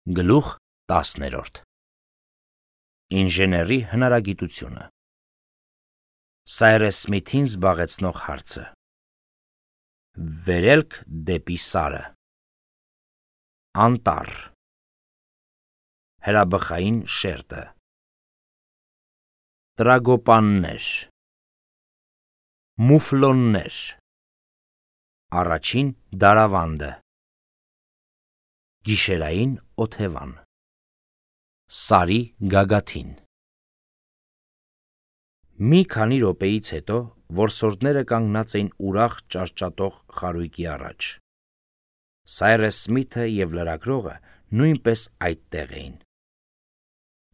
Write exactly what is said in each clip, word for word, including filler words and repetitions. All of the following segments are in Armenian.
Գլուխ տասներորդ Ինժեների հնարագիտությունը Սայրես Սմիթին զբաղեցնող հարցը Վերելք դեպի Սարը Անտառ Հրաբխային շերտը Տրագոպաններ Մուֆլոններ Առաջին դարավանդը Գիշերային օթևան Սարի գագաթին Մի քանի րոպեից հետո որսորդները կանգնած էին ուրախ ճարճատող խարույկի առաջ։ Սայրես Սմիթը և լրագրողը նույնպես այդտեղ էին։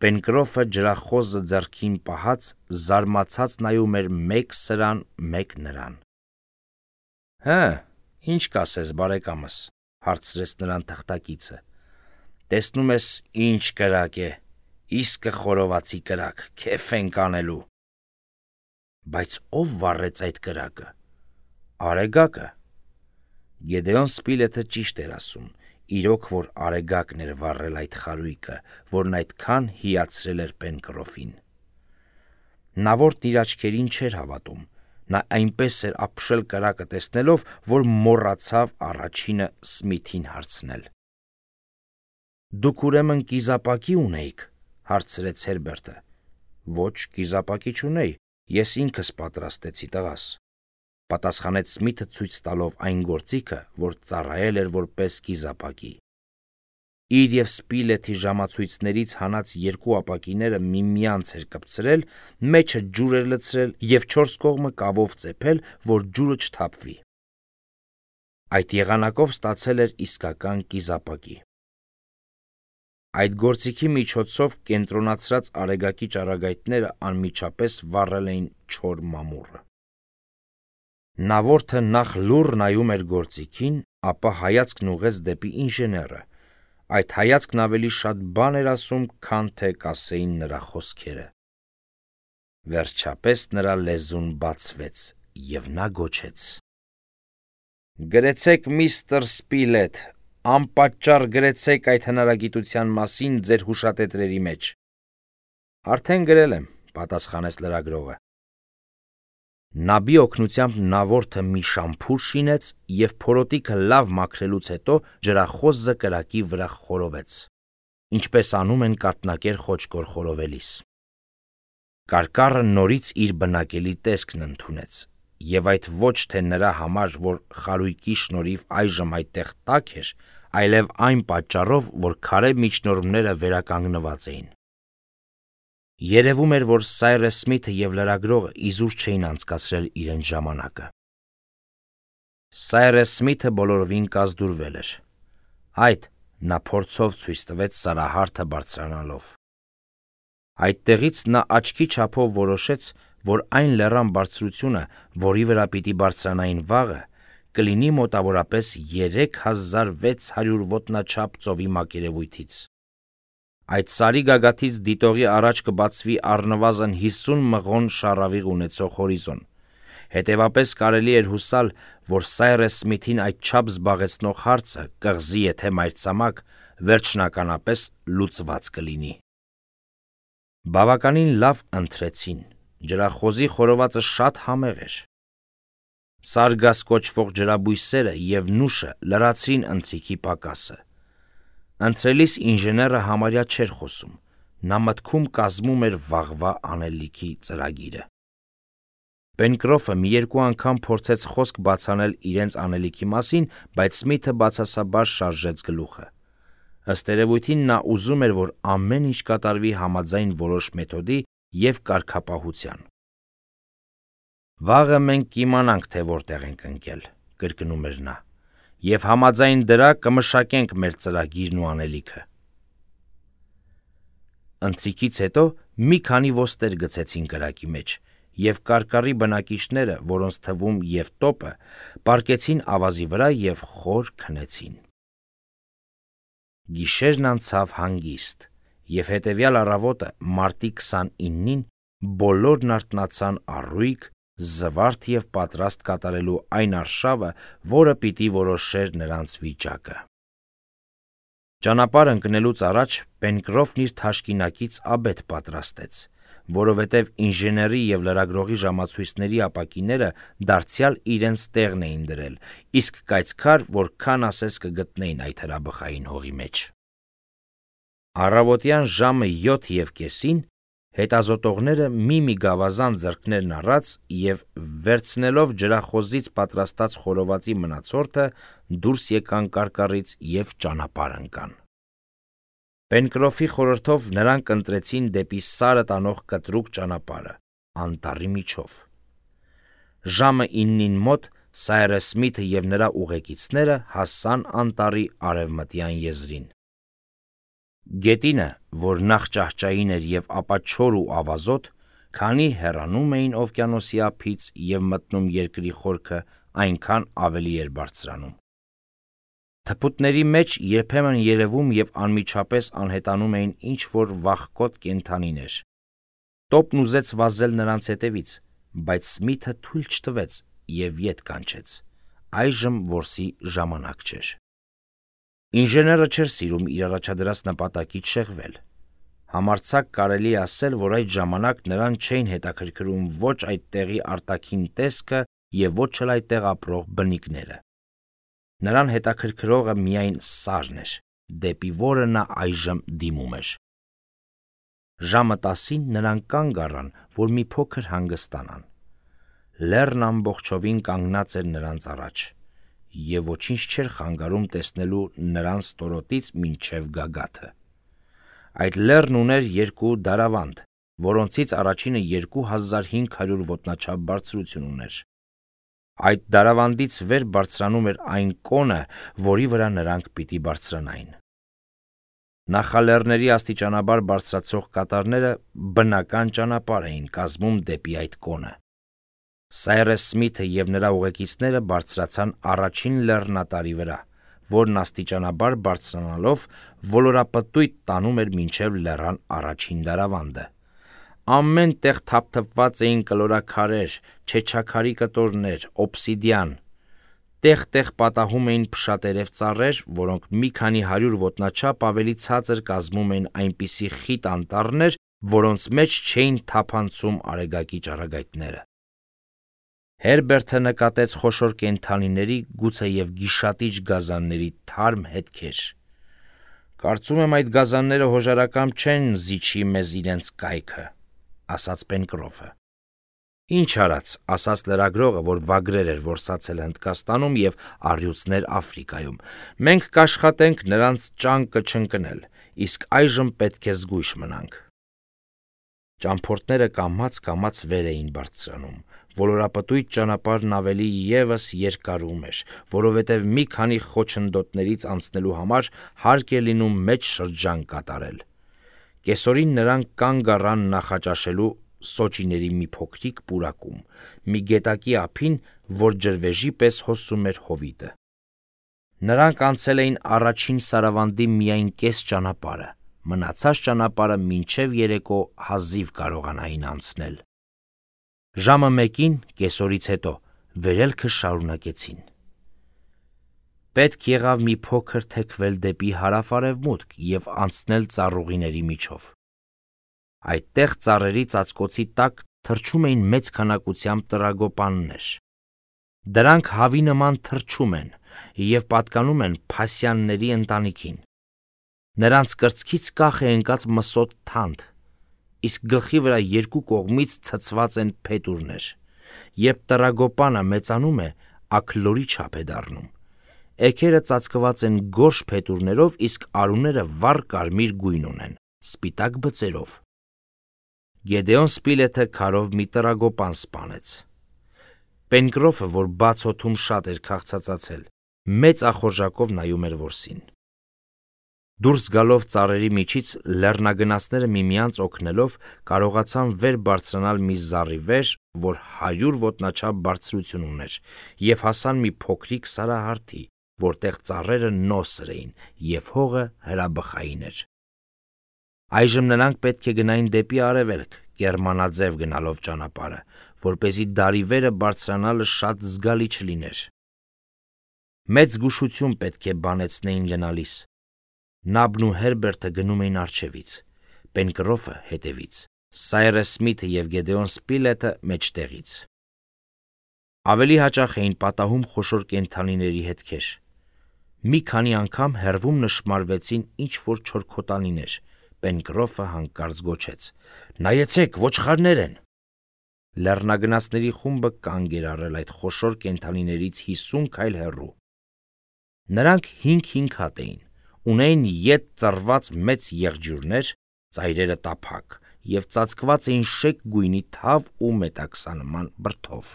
Պենկրոֆը ջրախոզը ձեռքին պահած զարմացած նայում էր մեկ սրան, մեկ նրան։ Հը, ինչ կասես, բարեկամս, հարցրեց նրան թղթակիցը, տեսնում ես ինչ կրակ է, իսկը խորովածի կրակ, քեֆ ենք անելու։ Բայց ով վառեց այդ կրակը։ Արեգակը։ Գեդեոն Սպիլեթը ճիշտ էր ասում, իրոք որ արեգակն էր վառել այդ խարույկը, որն այդքան հիացրել էր Պենկրոֆին։ Նավորդն իր աչքերին չէր հավատում, նա այնպես էր ապշել կրակը տեսնելով, որ մոռացավ առաջինը Սմիթին հարցնել։ Դուք ուրեմն կիզապակի ունեիք, հարցրեց Հերբերտը։ Ոչ, կիզապակի չունեի, ես ինքս պատրաստեցի տղաս, պատասխանեց Սմիթը ցույց տալով այն գործիքը, որ ծառայել էր որպես կիզապակի։ Իր և Սպիլեթի ժամացույցներից հանած երկու ապակիները միմյանց էր կպցրել, մեջը ջուր էր լցրել և չորս կողմը կավով ծեփել, որ ջուրը չթափվի։ Այդ եղանակով ստացել էր իսկական կիզապակի։ Այդ գործիքի միջոցով կենտրոնացրած արեգակի ճառագայթները անմիջապես վառել էին չոր մամուռը։ Նավորդը նախ լուռ նայում էր գործիքին, ապա հայացքն ուղղեց դեպի ինժեները։ Այդ հայացքն ավելի շատ բան էր ասում, քան թե կասեին նրա խոսքերը։ Վերջապես նրա լեզուն բացվեց, և նա գոչեց. Գրեցեք միստր Սպիլեթ, անպատճառ գրեցեք այդ հնարագիտության մասին ձեր հուշատետրերի մեջ։ Արդեն գրել եմ, պատասխանեց լրագրողը։ Նաբի օգնությամբ նավորդը մի շամփուր շինեց և փորոտիքը լավ մաքրելուց հետո ջրախոզը կրակի վրա խորովեց, ինչպես անում են կաթնակեր խոճկոր խորովելիս։ Կարկառը նորից իր բնակելի տեսքն ընդունեց, և այդ ոչ թե նրա համար, որ խարույկի շնորհիվ այժմ այդտեղ տաք էր, այլև այն պատճառով, որ քարե միջնորմները վերականգնված էին։ Երևում էր, որ Սայրես Սմիթը և լրագրողը իզուր չէին անցկացրել իրենց ժամանակը։ Սայրես Սմիթը բոլորովին կազդուրվել էր։ Այդ նա փորձով ցույց տվեց սարահարթը բարձրանալով։ Այդտեղից նա աչքի չափով որոշեց, որ այն լեռան բարձրությունը, որի վրա պիտի բարձրանային վաղը, կլինի մոտավորապես երեք հազար վեց հարյուր ոտնաչափ ծովի մակերևույթից։ Այդ սարի գագաթից դիտողի առաջ կբացվի առնվազն հիսուն մղոն շառավիղ ունեցող հորիզոն։ Հետևապես կարելի էր հուսալ, որ Սայրես Սմիթին այդչափ զբաղեցնող հարցը, կղզի եթե մայրցամաք, վերջնականապես լուծված կլինի։ Բավականին լավ ընթրեցին, ջրախոզի խորովածը շատ համեղ էր։ Սարգաս կոչվող ջրաբույսերը և նուշը լրացրին ընթրիքի պակասը։ Ընթրելիս ինժեները համարյա չէր խոսում, նա մտքում կազմում էր վաղվա անելիքի ծրագիրը։ Պենկրոֆը մի երկու անգամ փորձեց խոսք բացանել իրենց անելիքի մասին, բայց Սմիթը բացասաբար շարժեց գլուխը։ Ըստ երևույթին նա ուզում էր, որ ամեն ինչ կատարվի համաձայն որոշ մեթոդի և կարգապահության։ Վաղը մենք կիմանանք, թե որտեղ ենք ընկել, կրկնում էր նա, և համաձայն դրա կմշակենք մեր ծրագիրն ու անելիքը։ Ընթրիքից հետո մի քանի ոստեր գցեցին կրակի մեջ, և կարկառի բնակիչները, որոնց թվում և տոպը, պառկեցին ավազի վրա և խոր քնեցին։ Գիշերն անցավ հանգիստ, և հետևյալ առավոտը, մարտի քսանինին, բոլորն արթնացան առույգ, զվարթ և պատրաստ կատարելու այն արշավը, որը պիտի որոշեր նրանց վիճակը։ Ճանապարհ ընկնելուց առաջ Պենկրոֆն իր թաշկինակից աբեթ պատրաստեց, որովհետև ինժեների և լրագրողի ժամացույցների ապակիները դարձյալ իրենց տեղն էին դրել, իսկ կայծքար որքան ասես կգտնեին այդ հրաբխային հողի մեջ։ Առավոտյան ժամը յոթ և կեսին հետազոտողները մի-մի գավազան ձեռքներն առած և վերցնելով ջրախոզից պատրաստած խորովածի մնացորդը դուրս եկան կարկառից և ճանապարհ ընկան։ Պենկրոֆի խորհրդով նրանք ընտրեցին դեպի Սարը տանող կտրուկ ճանապարհը, անտառի միջով։ Ժամը իննին մոտ Սայրես Սմիթը և նրա ուղեկիցները հասան անտառի արևմտյան եզրին։ Գետինը, որ նախ ճահճային էր և ապա չոր ու ավազոտ, քանի հեռանում էին օվկիանոսի ափից և մտնում երկրի խորքը, այնքան ավելի էր բարձրանում։ Թփուտների մեջ երբեմն երևում և անմիջապես անհետանում էին ինչ-որ վախկոտ կենդանիներ։ Տոպն ուզեց վազել նրանց հետևից, բայց Սմիթը թույլ չտվեց և ետ կանչեց. այժմ որսի ժամանակ չէր։ Ինժեները չէր սիրում իր առաջադրած նպատակից շեղվել։ Համարձակ կարելի է ասել, որ այդ ժամանակ նրան չէին հետաքրքրում ոչ այդ տեղի արտաքին տեսքը և ոչ էլ այդտեղ ապրող բնիկները։ Նրան հետաքրքրողը միայն Սարն էր, դեպի որը նա այժմ դիմում էր։ Ժամը տասին նրանք կանգ առան, որ մի փոքր հանգստանան։ Լեռն ամբողջովին կանգնած էր նրանց առաջ, և ոչինչ չէր խանգարում տեսնելու նրան ստորոտից մինչև գագաթը։ Այդ լեռն ուներ երկու դարավանդ, որոնցից առաջինը երկու հազար հինգ հարյուր ոտնաչափ բարձրություն ուներ։ Այդ դարավանդից վեր բարձրանում էր այն կոնը, որի վրա նրանք պիտի բարձրանային։ Նախալեռների աստիճանաբար բարձրացող կատարները բնական ճանապարհ էին կազմում դեպի այդ կոնը։ Սայրես Սմիթը և նրա ուղեկիցները բարձրացան առաջին լեռնատարի վրա, որն աստիճանաբար բարձրանալով ոլորապտույտ տանում էր մինչև լեռան առաջին դարավանդը։ Ամեն տեղ թափթփված էին կլորաքարեր, չեչաքարի կտորներ, օբսիդիան։ Տեղ-տեղ պատահում էին փշատերև ծառեր, որոնք մի քանի հարյուր ոտնաչափ ավելի ցածր կազմում էին այնպիսի խիտ անտառներ, որոնց մեջ չէին թափանցում արեգակի ճառագայթները։ Հերբերտը նկատեց խոշոր կենդանիների, գուցեև գիշատիչ գազանների թարմ հետքեր։ «Կարծում եմ այդ գազանները հոժարակամ չեն զիջի մեզ իրենց կայքը», ասաց Պենկրոֆը։ «Ինչ արած», ասաց լրագրողը, որ վագրեր էր որսացել Հնդկաստանում և առյուծներ Աֆրիկայում, «մենք կաշխատենք նրանց ճանկը չընկնել, իսկ այժմ պետք է զգույշ մնանք»։ Ճամփորդները կամաց-կամաց վեր էին բարձրանում։ Ոլորապտույտ ճանապարհն ավելի ևս երկարում էր, որովհետև մի քանի խոչընդոտներից անցնելու համար հարկ է լինում մեծ շրջան կատարել։ Կեսօրին նրանք կանգ առան նախաճաշելու սոճիների մի փոքրիկ պուրակում, մի գետակի ափին, որ ջրվեժի պես հոսում էր հովիտը։ Նրանք անցել էին առաջին սարավանդի միայն կես ճանապարհը, մնացած ճանապարհը մինչև երեկո հազիվ կարողանային անցնել։ Ժամը մեկին, կեսօրից հետո, վերելքը շարունակեցին։ Պետք եղավ մի փոքր թեքվել դեպի հարավ-արևմուտք և անցնել ծառուղիների միջով։ Այդտեղ ծառերի ծածկոցի տակ թռչում էին մեծ քանակությամբ տրագոպաններ։ Դրանք հավի նման թռչում են և պատկանում են փասյանների ընտանիքին։ Նրանց կրծքից կախ է ընկած մսոտ թանդ, իսկ գլխի վրա երկու կողմից ցցված են փետուրներ։ Երբ տրագոպանը մեծանում է, աքլորի չափ է դառնում։ Էգերը ծածկված են գորշ փետուրներով, իսկ արուները վառ կարմիր գույն ունեն, սպիտակ բծերով։ Գեդեոն Սպիլեթը քարով մի տրագոպան սպանեց։ Պենկրոֆը, որ բաց օդում շատ էր քաղցածացել, մեծ ախորժակով նայում էր որսին։ Դուրս գալով ծառերի միջից լեռնագնացները միմյանց օգնելով կարողացան վեր բարձրանալ մի զառիվեր, որ հարյուր ոտնաչափ բարձրություն ուներ, և հասան մի փոքրիկ սարահարթի, որտեղ ծառերը նոսր էին, և հողը հրաբխային էր։ Այժմ նրանք պետք է գնային դեպի արևելք, կեռմանաձև գնալով ճանապարհը, որպեսզի դարի վերը բարձրանալը շատ զգալի չլիներ։ Մեծ զգուշություն պետք է բանեցնեին գնալիս։ Նաբն ու Հերբերտը գնում էին առջևից, Պենկրոֆը հետևից, Սայրես Սմիթը և Գեդեոն Սպիլետը մեջտեղից։ Ավելի հաճախ էին պատահում խոշոր կենդանիների հետքեր։ Մի քանի անգամ հեռվում նշմարվեցին ինչ-որ չորքոտանիներ։ Պենկրոֆը հանկարծ գոչեց. «Նայեցեք, ոչխարներ են»։ Լեռնագնացների խումբը կանգ էր առել այդ խոշոր կենդանիներից հիսուն քայլ հեռու։ Նրանք հինգ-հինգ հատ էին, ունեին ետ ծռված մեծ եղջյուրներ, ծայրերը տափակ և ծածկված էին շեկ գույնի թավ ու մետաքսանման բրդով։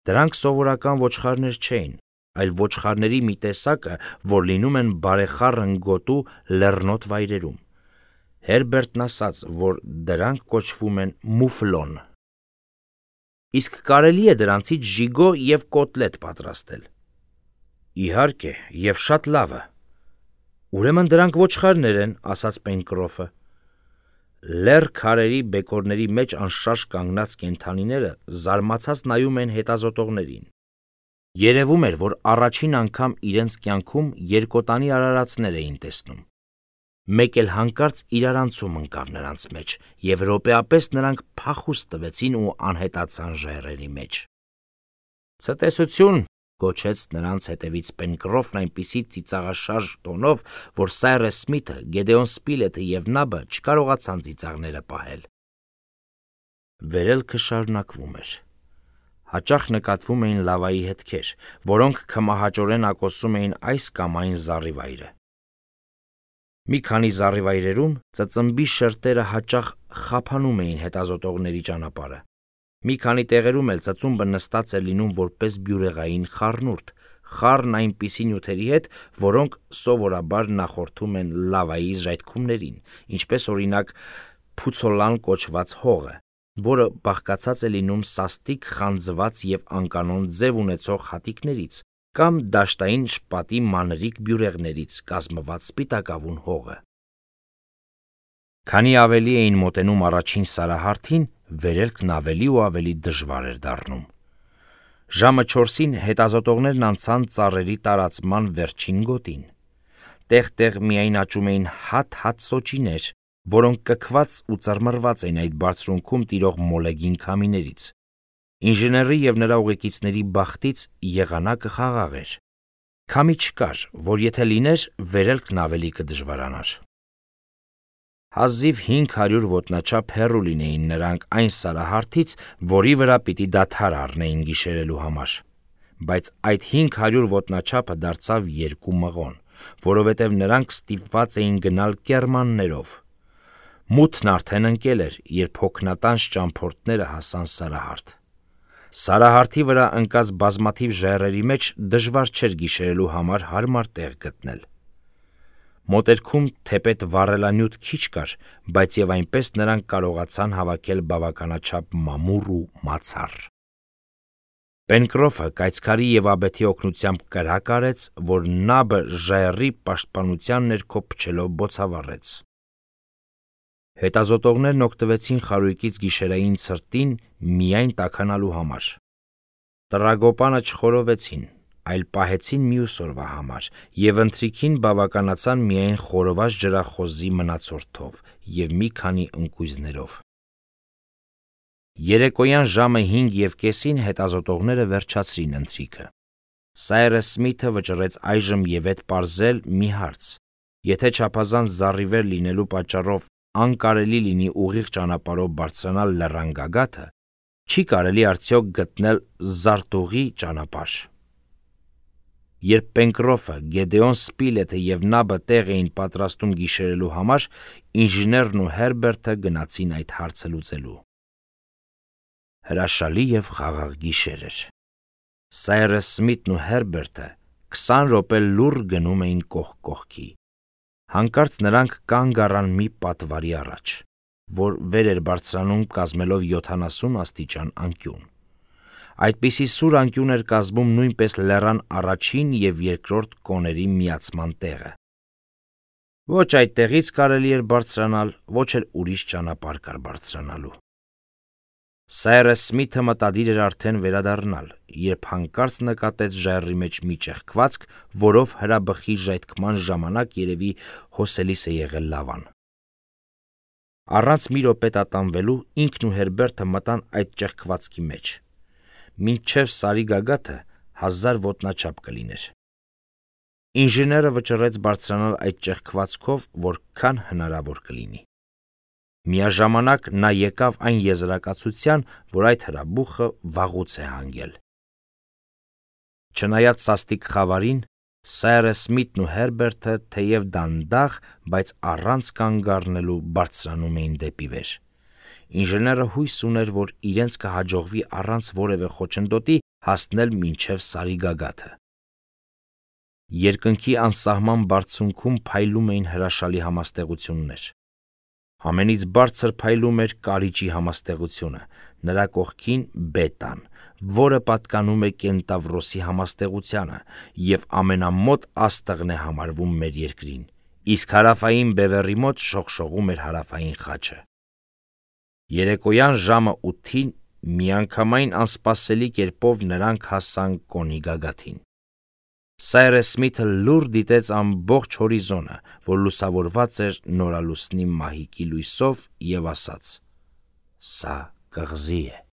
Դրանք սովորական ոչխարներ չէին, այլ ոչխարների մի տեսակը, որ լինում են բարեխառն գոտու լեռնոտ վայրերում։ Հերբերտն ասաց, որ դրանք կոչվում են մուֆլոն։ Իսկ կարելի է դրանցից ժիգո և կոտլետ պատրաստել։ Իհարկե, և շատ լավը։ Ուրեմն դրանք ոչխարներ են, ասաց Պենկրոֆը։ Լեռ քարերի բեկորների մեջ անշարժ կանգնած կենդանիները զարմացած նայում էին հետազոտողներին։ Երևում էր, որ առաջին անգամ իրենց կյանքում երկոտանի արարածներ էին տեսնում։ Մեկ էլ հանկարծ իրարանցում ընկավ նրանց մեջ, և րոպեապես նրանք փախուստ տվեցին ու անհետացան ժայռերի մեջ։ «Ցտեսություն», գոչեց նրանց հետևից Պենկրոֆն այնպիսի ծիծաղաշարժ տոնով, որ Սայրես Սմիթը, Գեդեոն Սպիլետը և Նաբը չկարողացան ծիծաղները պահել։ Վերելքը շարունակվում էր։ Հաճախ նկատվում էին լավայի հետքեր, որոնք քմահաճորեն ակոսում էին այս կամ այն զառիվայրը։ Մի քանի զառիվայրերում ծծմբի շերտերը հաճախ խափանում էին հետազոտողների ճանապարհը։ Մի քանի տեղերում էլ ծծումբը նստած էր լինում որպես բյուրեղային խառնուրդ, խառն այնպիսի նյութերի հետ, որոնք սովորաբար նախորդում են լավայի ժայթքումներին, ինչպես օրինակ փուցոլան կոչված հողը, որը բաղկացած է լինում սաստիկ խանձված և անկանոն ձև ունեցող հատիկներից, կամ դաշտային շպատի մանրիկ բյուրեղներից կազմված սպիտակավուն հողը։ Քանի ավելի էին մոտենում առաջին սարահարթին, վերելքն ավելի ու ավելի դժվար էր դառնում։ Ժամը չորսին հետազոտողներն անցան ծառերի տարածման վերջին գոտին։ Տեղ-տեղ միայն աճում էին հատ-հատ սոճիներ, որոնք կքված ու ծռմռված էին այդ բարձրունքում տիրող մոլեգին քամիներից։ Ինժեների և նրա ուղեկիցների բախտից եղանակը խաղաղ էր։ Քամի չկար, որ եթե լիներ, վերելքն ավելի կդժվարանար։ Հազիվ հինգ հարյուր ոտնաչափ հեռու լինեին նրանք այն սարահարթից, որի վրա պիտի դադար առնեին գիշերելու համար, բայց այդ հինգ հարյուր ոտնաչափը դարձավ երկու մղոն, որովհետև նրանք ստիպված էին գնալ կեռմաններով։ Մութն արդեն ընկել էր, երբ հոգնատանջ ճամփորդները հասան սարահարթ։ Սարահարթի վրա ընկած բազմաթիվ ժայռերի մեջ դժվար չէր գիշերելու համար հարմար տեղ գտնել։ Մոտերքում թեպետ վառելանյութ քիչ կար, բայց և այնպես նրանք կարողացան հավաքել բավականաչափ մամուռ ու մացառ։ Պենկրոֆը կայծքարի և աբեթի օգնությամբ կրակ արեց, որ Նաբը ժայռի պաշտպանության ներքո փչելով բոցավառեց։ Հետազոտողներն օգտվեցին խարույկից գիշերային ցրտին միայն տաքանալու համար։ Տրագոպանը չխորովեցին, այլ պահեցին մյուս օրվա համար և ընթրիքին բավականացան միայն խորոված ջրախոզի մնացորդով և մի քանի ընկույզներով։ Երեկոյան ժամը հինգ և կեսին հետազոտողները վերջացրին ընթրիքը։ Սայրես Սմիթը վճռեց այժմ և ետ պարզել մի հարց. եթե չափազանց զառիվեր լինելու պատճառով անկարելի լինի ուղիղ ճանապարհով բարձրանալ լեռան գագաթը, չի կարելի արդյոք գտնել զարտուղի ճանապարհ։ Երբ Պենկրոֆը, Գեդեոն Սպիլետը և Նաբը տեղ էին պատրաստում գիշերելու համար, ինժեներն ու Հերբերտը գնացին այդ հարցը լուծելու։ Հրաշալի և խաղաղ գիշեր էր։ Սայրես Սմիթն ու Հերբերտը քսան րոպե լուռ գնում էին կողք կողքի։ Հանկարծ նրանք կանգ առան մի պատվարի առաջ, որ վեր էր բարձրանում կազմելով յոթանասուն աստիճան անկյուն։ Այդպիսի սուր անկյուն էր կազմում նույնպես լեռան առաջին և երկրորդ կոների միացման տեղը։ Ոչ այդտեղից կարելի էր բարձրանալ, ոչ էլ ուրիշ ճանապարհ կար բարձրանալու։ Սայրես Սմիթը մտադիր էր արդեն վերադառնալ, երբ հանկարծ նկատեց ժայռի մեջ մի ճեղքվածք, որով հրաբխի ժայթքման ժամանակ երևի հոսելիս է եղել լավան։ Առանց մի րոպե տատանվելու ինքն ու Հերբերտը մտան այդ ճեղքվածքի մեջ։ Մինչև Սարի գագաթը հազար ոտնաչափ կլիներ։ Ինժեները վճռեց բարձրանալ այդ ճեղքվածքով, որքան հնարավոր կլինի։ Միաժամանակ նա եկավ այն եզրակացության, որ այդ հրաբուխը վաղուց է հանգել։ Չնայած սաստիկ խավարին, Սայրես Սմիթն ու Հերբերտը թեև դանդաղ, բայց առանց կանգ առնելու բարձրանում էին դեպի վեր։ Ինժեները հույս ուներ, որ իրենց կհաջողվի առանց որևէ խոչընդոտի հասնել մինչև Սարի գագաթը։ Երկնքի անսահման բարձունքում փայլում էին հրաշալի համաստեղություններ։ Ամենից բարձր փայլում էր կարիճի համաստեղությունը, նրա կողքին բետան, որը պատկանում է Կենտավրոսի համաստեղությանը և ամենամոտ աստղն է համարվում մեր երկրին, իսկ հարավային բևեռի մոտ շողշողում էր հարավային խաչը։ Երեկոյան ժամը ութին միանգամայն անսպասելի կերպով նրանք հասան Կոնի գագաթին։ Սայրես Սմիթը լուռ դիտեց ամբողջ հորիզոնը, որ լուսավորված էր նորալուսնի մահիկի լույսով, և ասաց. «Սա կղզի է»։